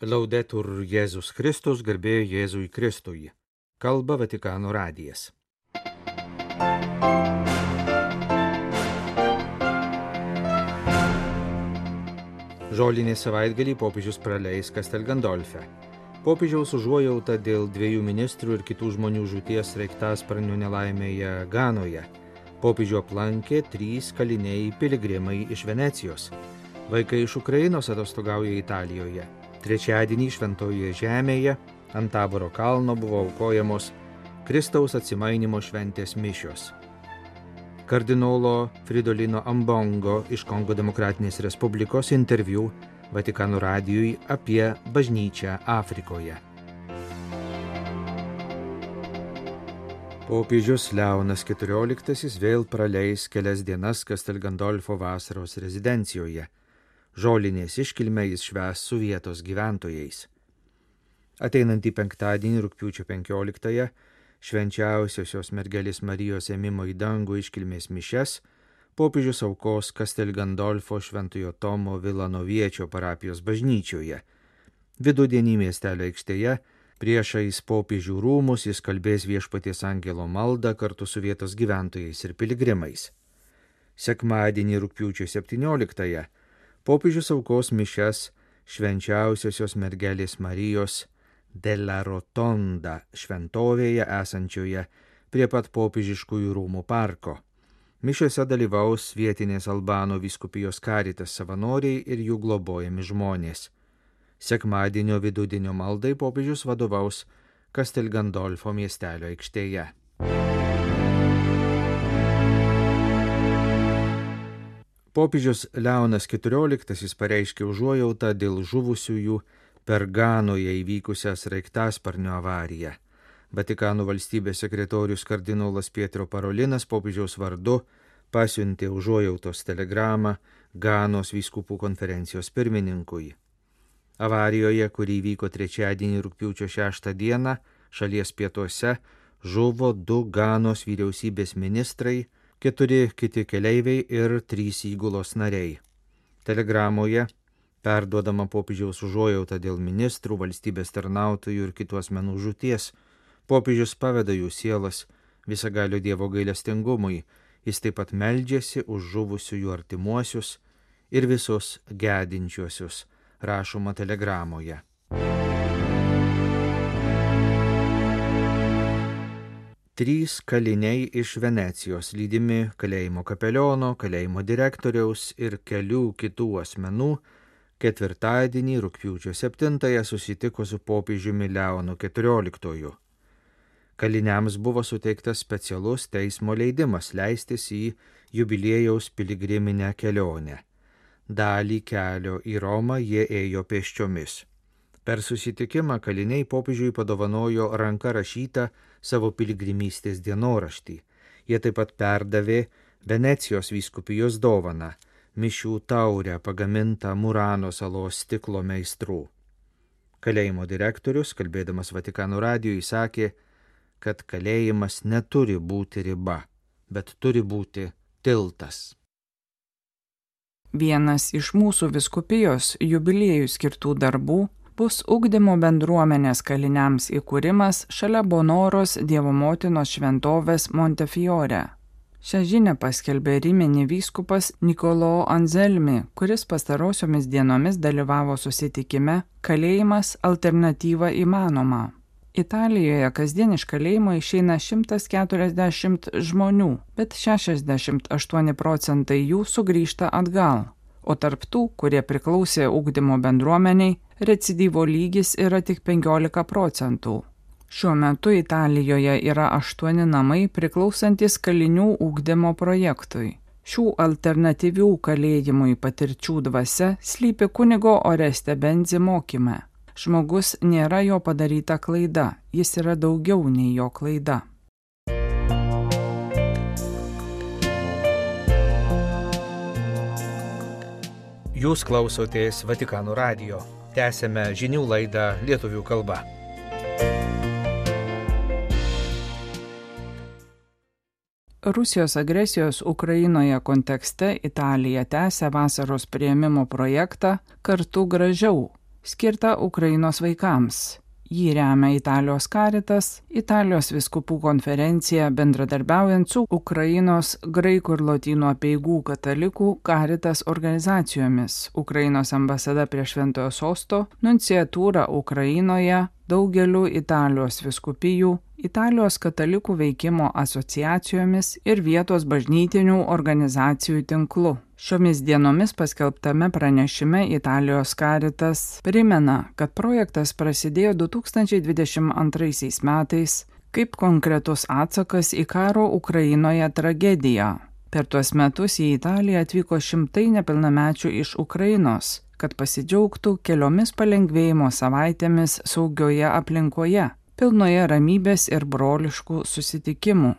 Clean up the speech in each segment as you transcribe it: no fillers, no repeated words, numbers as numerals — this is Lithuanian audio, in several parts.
Laudetur Jėzus Kristus, garbė Jėzui Kristui. Kalba Vatikano radijas. Žolinį savaitgalį popiežius praleis Castel Gandolfe. Popiežiaus užuojauta dėl 2 ministrų ir kitų žmonių žūties sraigtasparnio nelaimėje Ganoje. Popiežių aplankė 3 kaliniai piligrimai iš Venecijos. Vaikai iš Ukrainos atostogauja Italijoje. Trečiadienį Šventojoje žemėje ant Taboro kalno buvo aukojamos Kristaus atsimainimo šventės mišios. Kardinolo Fridolino Ambongo iš Kongo Demokratinės Respublikos interviu Vatikano radijui apie bažnyčią Afrikoje. Popiežius Leonas XIV vėl praleis kelias dienas Castel Gandolfo vasaros rezidencijoje. Žolinės iškilmę jis švęs su vietos gyventojais. Ateinantį penktadienį rugpjūčio 15-ąją švenčiausiosios mergelės Marijos ėmimo į dangų iškilmės mišias popiežius aukos Castel Gandolfo Šventojo Tomo Vilanoviečio parapijos bažnyčioje. Vidudienį miestelio aikštėje priešais popiežių rūmus jis kalbės Viešpaties angelo maldą kartu su vietos gyventojais ir piligrimais. Sekmadienį rugpjūčio 17-ąją popiežius aukos mišias švenčiausiosios mergelės Marijos della Rotonda šventovėje esančioje prie pat popiežiškųjų rūmų parko. Mišiose dalyvaus vietinės Albano vyskupijos Caritas savanoriai ir jų globojami žmonės. Sekmadienio vidudienio maldai popiežius vadovaus Castel Gandolfo miestelio aikštėje. Popiežius Leonas XIV pareiškė užuojautą dėl žuvusiųjų per Ganoje įvykusią sraigtasparnio avariją. Vatikano valstybės sekretorius kardinolas Pietro Parolinas popiežiaus vardu pasiuntė užuojautos telegramą Ganos vyskupų konferencijos pirmininkui. Avarijoje, kuri įvyko trečiadienį rugpjūčio 6 dieną, šalies pietuose žuvo 2 Ganos vyriausybės ministrai, 4 kiti keleiviai ir 3 įgulos nariai. Telegramoje perduodama popiežiaus užuojauta dėl ministrų, valstybės tarnautojų ir kitų asmenų žūties. Popiežius paveda jų sielas visagalio Dievo gailestingumui. Jis taip pat meldžiasi už žuvusiųjų artimuosius ir visus gedinčiuosius, rašoma telegramoje. Trys kaliniai iš Venecijos, lydimi kalėjimo kapeliono, kalėjimo direktoriaus ir kelių kitų asmenų, ketvirtadienį rugpjūčio 7-ąją susitiko su popiežiumi Leonu XIV. Kaliniams buvo suteiktas specialus teismo leidimas leistis į jubiliejaus piligriminę kelionę. Dalį kelio į Romą jie ėjo pėsčiomis. Per susitikimą kaliniai popiežiui padovanojo ranka rašytą savo piligrimystės dienoraštį. Jie taip pat perdavė Venecijos vyskupijos dovaną – mišių taurę pagamintą Murano salos stiklo meistrų. Kalėjimo direktorius, kalbėdamas Vatikano radijui, sakė, kad kalėjimas neturi būti riba, bet turi būti tiltas. Vienas iš mūsų vyskupijos jubiliejų skirtų darbų bus ugdymo bendruomenės kaliniams įkūrimas šalia Bonoros Dievo motinos šventovės Montefiore. Šią žinią paskelbė Rimini vyskupas Nicolò Anselmi, kuris pastarosiomis dienomis dalyvavo susitikime Kalėjimas alternatyva įmanoma. Italijoje kasdien iš kalėjimo išeina 140 žmonių, bet 68% jų sugrįžta atgal. O tarp tų, kurie priklausė ugdymo bendruomeniai, recidyvo lygis yra tik 15%. Šiuo metu Italijoje yra 8 namai priklausantis kalinių ugdymo projektui. Šių alternatyvių kalėjimui patirčių dvasia slypi kunigo Oreste Benzi mokyme. Žmogus nėra jo padaryta klaida, jis yra daugiau nei jo klaida. Jūs klausotės Vatikano radijo. Tęsėme žinių laidą lietuvių kalba. Rusijos agresijos Ukrainoje kontekste Italija tęsia vasaros priėmimo projektą Kartu gražiau. skirtą Ukrainos vaikams. Jį remia Italijos Caritas, Italijos vyskupų konferencija bendradarbiaujant su Ukrainos graikų ir lotynų apeigų katalikų Caritas organizacijomis, Ukrainos ambasada prie Šventojo Sosto, nunciatūra Ukrainoje, daugeliu Italijos vyskupijų, Italijos katalikų veikimo asociacijomis ir vietos bažnytinių organizacijų tinklu. Šiomis dienomis paskelbtame pranešime Italijos Caritas primena, kad projektas prasidėjo 2022 metais kaip konkretus atsakas į karo Ukrainoje tragediją. Per tuos metus į Italiją atvyko šimtai nepilnamečių iš Ukrainos, kad pasidžiaugtų keliomis palengvėjimo savaitėmis saugioje aplinkoje, pilnoje ramybės ir broliškų susitikimų.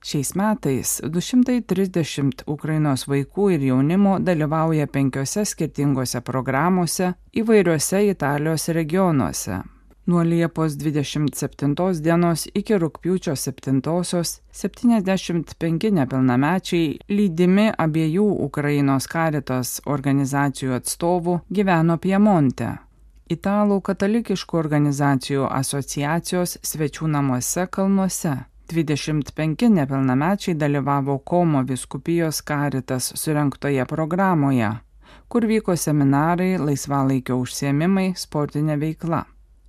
Šiais metais 230 Ukrainos vaikų ir jaunimo dalyvauja 5 skirtingose programuose įvairiuose Italijos regionuose. Nuo Liepos 27 dienos iki rugpjūčio 7-osios 75 nepilnamečiai lydimi abiejų Ukrainos Caritas organizacijų atstovų gyveno Piemonte. Italų katalikiškų organizacijų asociacijos svečių namuose kalnuose. 25 nepilnamečiai dalyvavo Komo vyskupijos Caritas surengtoje programoje, kur vyko seminarai, laisvalaikio užsiėmimai, sportinė veikla.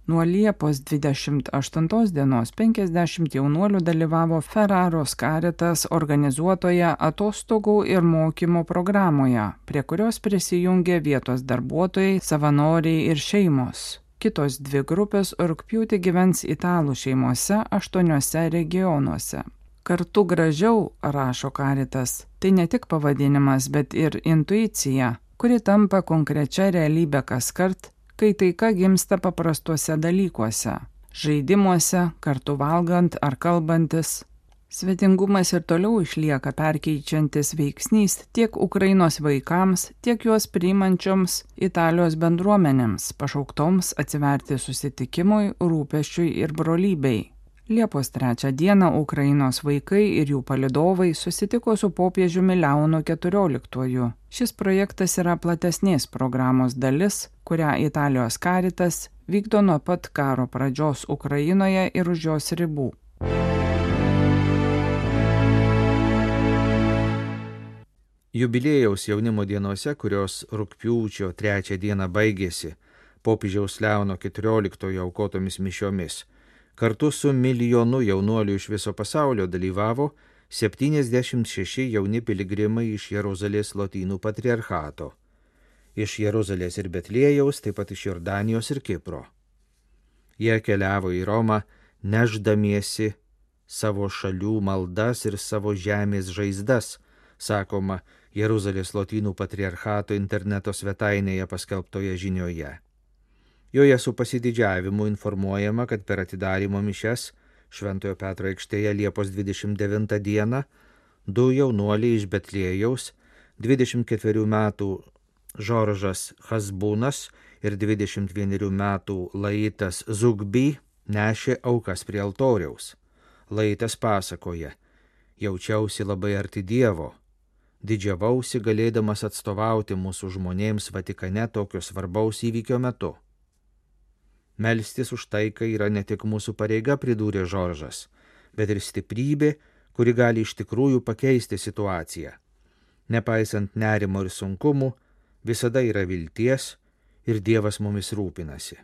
Nuo Liepos 28 dienos 50 jaunuolių dalyvavo Ferraros Caritas organizuotoje atostogų ir mokymo programoje, prie kurios prisijungė vietos darbuotojai, savanoriai ir šeimos. Kitos 2 grupės rugpjūtį gyvens italų šeimose 8 regionuose. Kartu gražiau, rašo Caritas, tai ne tik pavadinimas, bet ir intuicija, kuri tampa konkrečia realybė kaskart, kai taika gimsta paprastuose dalykuose – žaidimuose, kartu valgant ar kalbantis. Svetingumas ir toliau išlieka perkeičiantis veiksnys tiek Ukrainos vaikams, tiek juos priimančioms Italijos bendruomenėms, pašauktoms atsiverti susitikimui, rūpesčiui ir brolybei. Liepos 3 dieną Ukrainos vaikai ir jų palydovai susitiko su popiežiumi Leonu XIV. Šis projektas yra platesnės programos dalis, kurią Italijos Caritas vykdo nuo pat karo pradžios Ukrainoje ir už jos ribų. Jubiliejaus jaunimo dienose, kurios rugpjūčio 3 dieną baigėsi popiežiaus Leono XIV aukotomis mišiomis, kartu su milijonu jaunuolių iš viso pasaulio dalyvavo 76 jauni piligrimai iš Jeruzalės lotynų patriarchato, iš Jeruzalės ir Betliejaus, taip pat iš Jordanijos ir Kipro. Jie keliavo į Romą, nešdamiesi savo šalių maldas ir savo žemės žaizdas, sakoma Jeruzalės lotynų patriarchato interneto svetainėje paskelbtoje žinioje. Joje su pasididžiavimu informuojama, kad per atidarymo mišias Šventojo Petro aikštėje Liepos 29 dieną 2 jaunuoliai iš Betliejaus, 24 metų Žoržas Hasbūnas ir 21 metų Laitas Zugby nešė aukas prie altoriaus. Laitas pasakoja: jaučiausi labai arti Dievo, didžiavausi galėdamas atstovauti mūsų žmonėms Vatikane tokio svarbaus įvykio metu. Melstis už taiką yra ne tik mūsų pareiga, pridūrė Žoržas, bet ir stiprybė, kuri gali iš tikrųjų pakeisti situaciją. Nepaisant nerimo ir sunkumų, visada yra vilties ir Dievas mumis rūpinasi.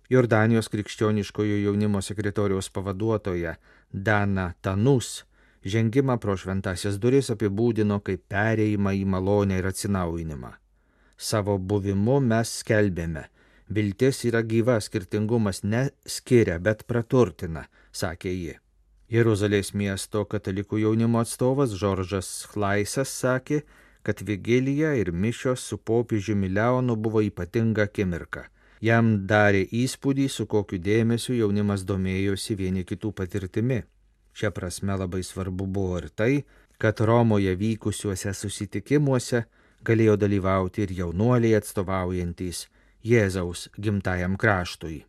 Jordanijos krikščioniškojo jaunimo sekretoriaus pavaduotoja Dana Tanus žengimą pro šventąsias duris apibūdino kaip perėjimą į malonę ir atsinaujinimą. Savo buvimu mes skelbėme: viltis yra gyva, skirtingumas neskiria, bet praturtina, sakė ji. Jeruzalės miesto katalikų jaunimo atstovas Žoržas Chlaisas sakė, kad vigilija ir mišios su popiežiumi Leonu buvo ypatinga akimirka. Jam darė įspūdį, su kokiu dėmesiu jaunimas domėjosi vieni kitų patirtimi. Šia prasme labai svarbu buvo ir tai, kad Romoje vykusiuose susitikimuose galėjo dalyvauti ir jaunuoliai atstovaujantys Jėzaus gimtajam kraštui.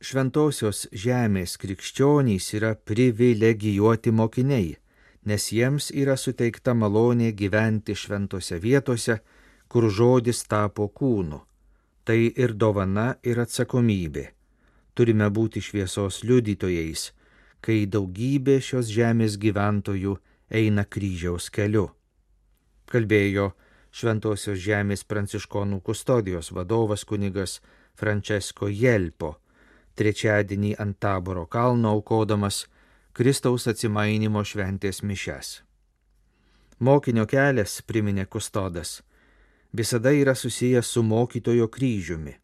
Šventosios žemės krikščionys yra privilegijuoti mokiniai, nes jiems yra suteikta malonė gyventi šventose vietose, kur žodis tapo kūnu. Tai ir dovana, ir atsakomybė. Turime būti šviesos liudytojais, kai daugybė šios žemės gyventojų eina kryžiaus keliu. Kalbėjo Šventosios žemės pranciškonų kustodijos vadovas kunigas Francesco Jelpo, trečiadienį ant Taboro kalno aukodamas Kristaus atsimainymo šventės mišias. Mokinio kelias, priminė kustodas, visada yra susijęs su mokytojo kryžiumi.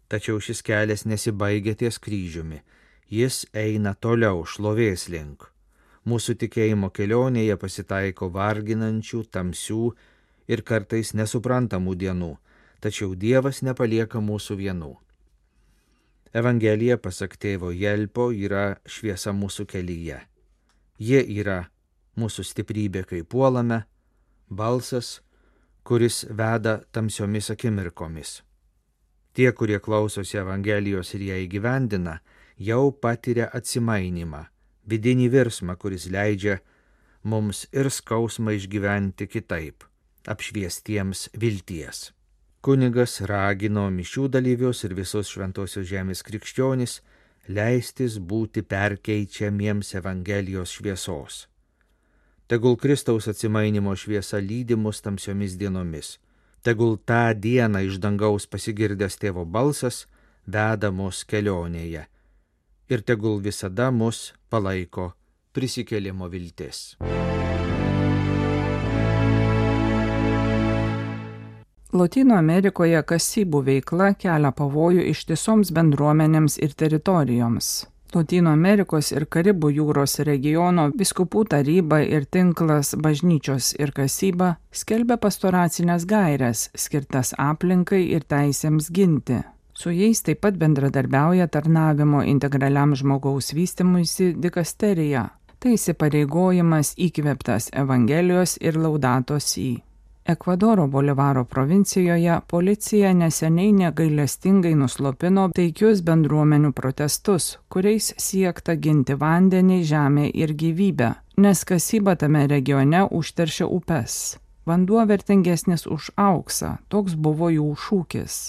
Tačiau šis kelias nesibaigia ties kryžiumi, jis eina toliau šlovės link. Mūsų tikėjimo kelionėje pasitaiko varginančių, tamsių ir kartais nesuprantamų dienų, tačiau Dievas nepalieka mūsų vienų. Evangelija, pasak tėvo Jelpo, yra šviesa mūsų kelyje. Ji yra mūsų stiprybė, kai puolame, balsas, kuris veda tamsiomis akimirkomis. Tie, kurie klausosi Evangelijos ir ją įgyvendina, jau patiria atsimainimą, vidinį virsmą, kuris leidžia mums ir skausmą išgyventi kitaip, apšviestiems vilties. Kunigas ragino mišių dalyvius ir visus Šventosios žemės krikščionis leistis būti perkeičiamiems Evangelijos šviesos. Tegul Kristaus atsimainimo šviesa lydi mus tamsiomis dienomis. Tegul tą dieną iš dangaus pasigirdęs tėvo balsas veda mus kelionėje. Ir tegul visada mus palaiko prisikėlimo viltis. Lotynų Amerikoje kasybų veikla kelia pavojų ištisoms bendruomenėms ir teritorijoms. Lotynų Amerikos ir Karibų jūros regiono vyskupų taryba ir tinklas Bažnyčios ir kasyba skelbia pastoracinės gaires, skirtas aplinkai ir teisėms ginti. Su jais taip pat bendradarbiauja tarnavimo integraliam žmogaus vystymuisi dikasterija. Tai įsipareigojimas įkvėptas Evangelijos ir Laudato Si. Ekvadoro Bolivaro provincijoje policija neseniai negailestingai nuslopino taikius bendruomenių protestus, kuriais siekta ginti vandenį, žemę ir gyvybę, nes kasyba tame regione užteršia upes. Vanduo vertingesnis už auksą, toks buvo jų šūkis.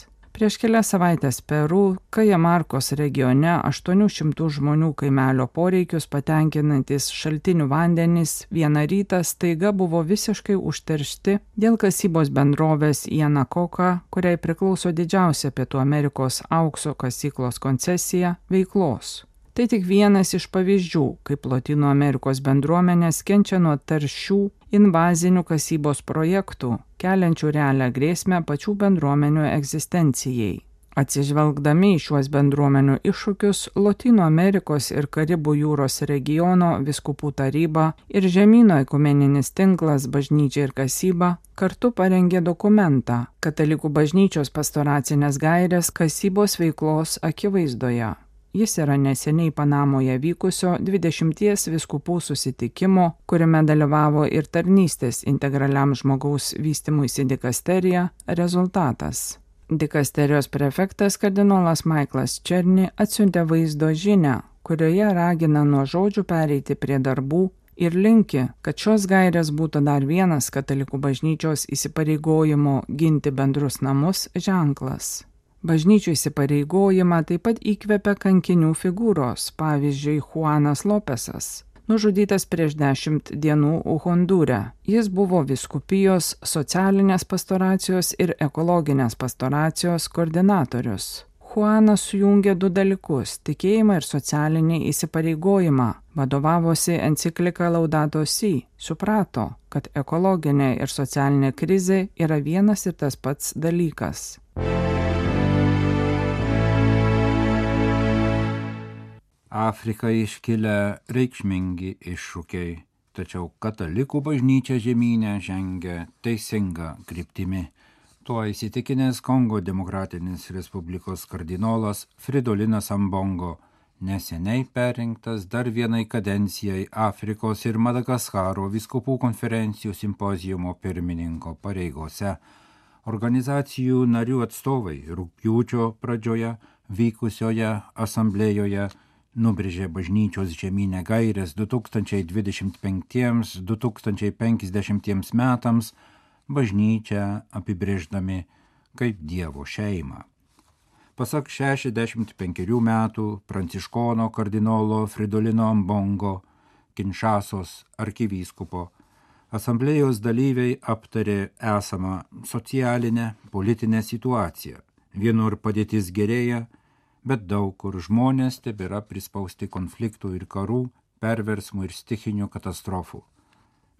Prieš kelias savaitės Peru, Kajamarkos regione 800 žmonių kaimelio poreikius patenkinantis šaltinių vandenys vieną rytą staiga buvo visiškai užteršti dėl kasybos bendrovės Yanacocha, kuriai priklauso didžiausia Pietų Amerikos aukso kasyklos koncesija, veiklos. Tai tik vienas iš pavyzdžių, kaip Lotynų Amerikos bendruomenės kenčia nuo taršių invazinių kasybos projektų, keliančių realią grėsmę pačių bendruomenių egzistencijai. Atsižvelgdami į šiuos bendruomenių iššūkius, Lotynų Amerikos ir Karibų jūros regiono vyskupų taryba ir žemyno ekumeninis tinklas Bažnyčia ir kasyba kartu parengė dokumentą Katalikų bažnyčios pastoracinės gairės kasybos veiklos akivaizdoje. Jis yra neseniai Panamoje vykusio 20 vyskupų susitikimo, kuriame dalyvavo ir tarnystės integraliam žmogaus vystymuisi dikasterija, rezultatas. Dikasterijos prefektas kardinolas Michaelas Černi atsiuntė vaizdo žinią, kurioje ragina nuo žodžių pereiti prie darbų ir linki, kad šios gairės būtų dar vienas Katalikų bažnyčios įsipareigojimo ginti bendrus namus ženklas. Bažnyčių įsipareigojimą taip pat įkvepia kankinių figūros, pavyzdžiui, Juanas Lopesas, nužudytas prieš 10 dienų Hondūre. Jis buvo vyskupijos socialinės pastoracijos ir ekologinės pastoracijos koordinatorius. Juanas sujungė du dalykus – tikėjimą ir socialinį įsipareigojimą. Vadovavosi enciklika Laudato Si, suprato, kad ekologinė ir socialinė krizė yra vienas ir tas pats dalykas. Afrikai iškilę reikšmingi iššūkiai, tačiau katalikų bažnyčia žemyne žengia teisinga kryptimi. Tuo įsitikinęs Kongo Demokratinės Respublikos kardinolas Fridolinas Ambongo, neseniai perrinktas dar vienai kadencijai Afrikos ir Madagaskaro vyskupų konferencijų simpoziumo pirmininko pareigose. Organizacijų narių atstovai rugpjūčio pradžioje vykusioje asamblėjoje nubrėžė bažnyčios žemynę gairės 2025-2050 metams, bažnyčią apibrėždami kaip Dievo šeimą. Pasak 65 metų pranciškono kardinolo Fridolino Ambongo, Kinšasos arkivyskupo, asamblėjos dalyviai aptarė esamą socialinę, politinę situaciją. Vienur padėtis gerėja, bet daug kur žmonės tebėra prispausti konfliktų ir karų, perversmų ir stichinių katastrofų.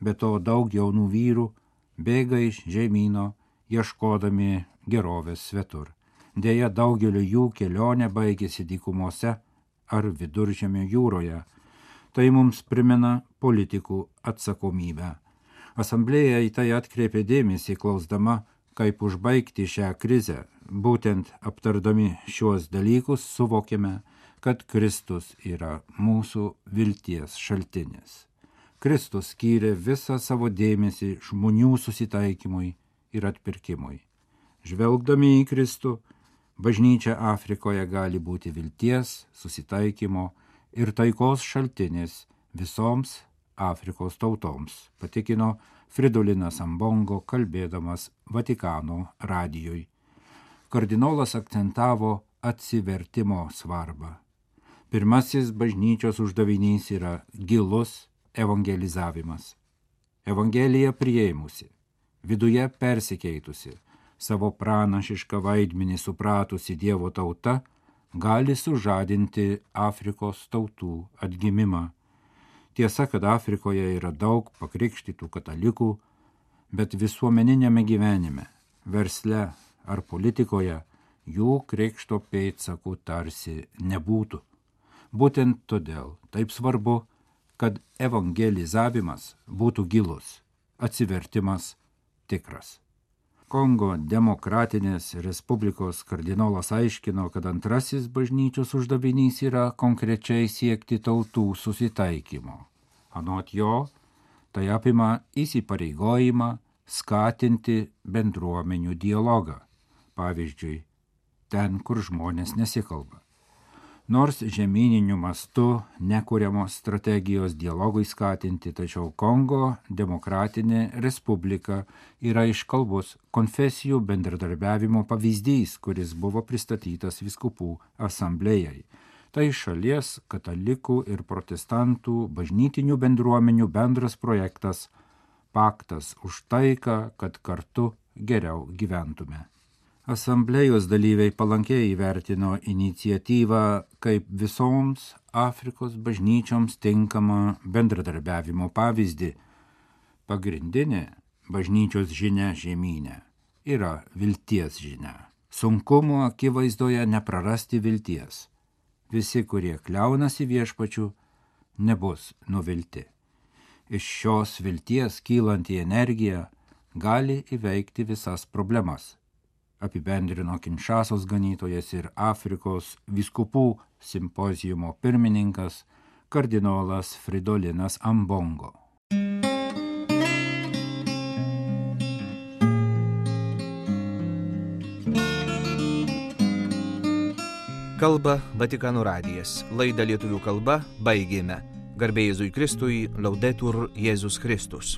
Be to daug jaunų vyrų bėga iš žemyno, ieškodami gerovės svetur. Deja, daugelio jų kelionė baigėsi dykumose ar Viduržemio jūroje. Tai mums primena politikų atsakomybę. Asamblėja į tai atkreipė dėmesį, klausdama, kaip užbaigti šią krizę. Būtent aptardami šiuos dalykus suvokėme, kad Kristus yra mūsų vilties šaltinis. Kristus skyrė visą savo dėmesį žmonių susitaikymui ir atpirkimui. Žvelgdami į Kristų, bažnyčia Afrikoje gali būti vilties, susitaikymo ir taikos šaltinis visoms Afrikos tautoms, patikino Fridolinas Ambongo, kalbėdamas Vatikano radijui. Kardinolas akcentavo atsivertimo svarbą. Pirmasis bažnyčios uždavinys yra gilus evangelizavimas. Evangelija priėmusi, viduje persikeitusi, savo pranašišką vaidmenį supratusi Dievo tauta gali sužadinti Afrikos tautų atgimimą. Tiesa, kad Afrikoje yra daug pakrikštytų katalikų, bet visuomeninėme gyvenime, versle ar politikoje jų krikšto pėdsakų tarsi nebūtų. Būtent todėl taip svarbu, kad evangelizavimas būtų gilus, atsivertimas tikras. Kongo Demokratinės Respublikos kardinolas aiškino, kad antrasis bažnyčios uždavinys yra konkrečiai siekti tautų susitaikymo. Anot jo, tai apima įsipareigojimą skatinti bendruomenių dialogą, pavyzdžiui, ten, kur žmonės nesikalba. Nors žemyniniu mastu nekuriamos strategijos dialogui skatinti, tačiau Kongo Demokratinė Respublika yra iškalbus konfesijų bendradarbiavimo pavyzdys, kuris buvo pristatytas vyskupų asamblėjai. Tai šalies katalikų ir protestantų bažnytinių bendruomenių bendras projektas, paktas už taiką, kad kartu geriau gyventume. Asamblėjos dalyviai palankiai įvertino iniciatyvą kaip visoms Afrikos bažnyčioms tinkamą bendradarbiavimo pavyzdį. Pagrindinė bažnyčios žinia žemyne yra vilties žinia. Sunkumų akivaizdoje neprarasti vilties. Visi, kurie kliaunasi viešpačiu, nebus nuvilti. Iš šios vilties kylanti energija gali įveikti visas problemas, apibendrino Kinšasos ganytojas ir Afrikos vyskupų simpoziumo pirmininkas kardinolas Fridolinas Ambongo. Kalba Vatikano radijas. Laidą lietuvių kalba baigėme. Garbė Jėzui Kristui, Laudetur Jėzus Kristus.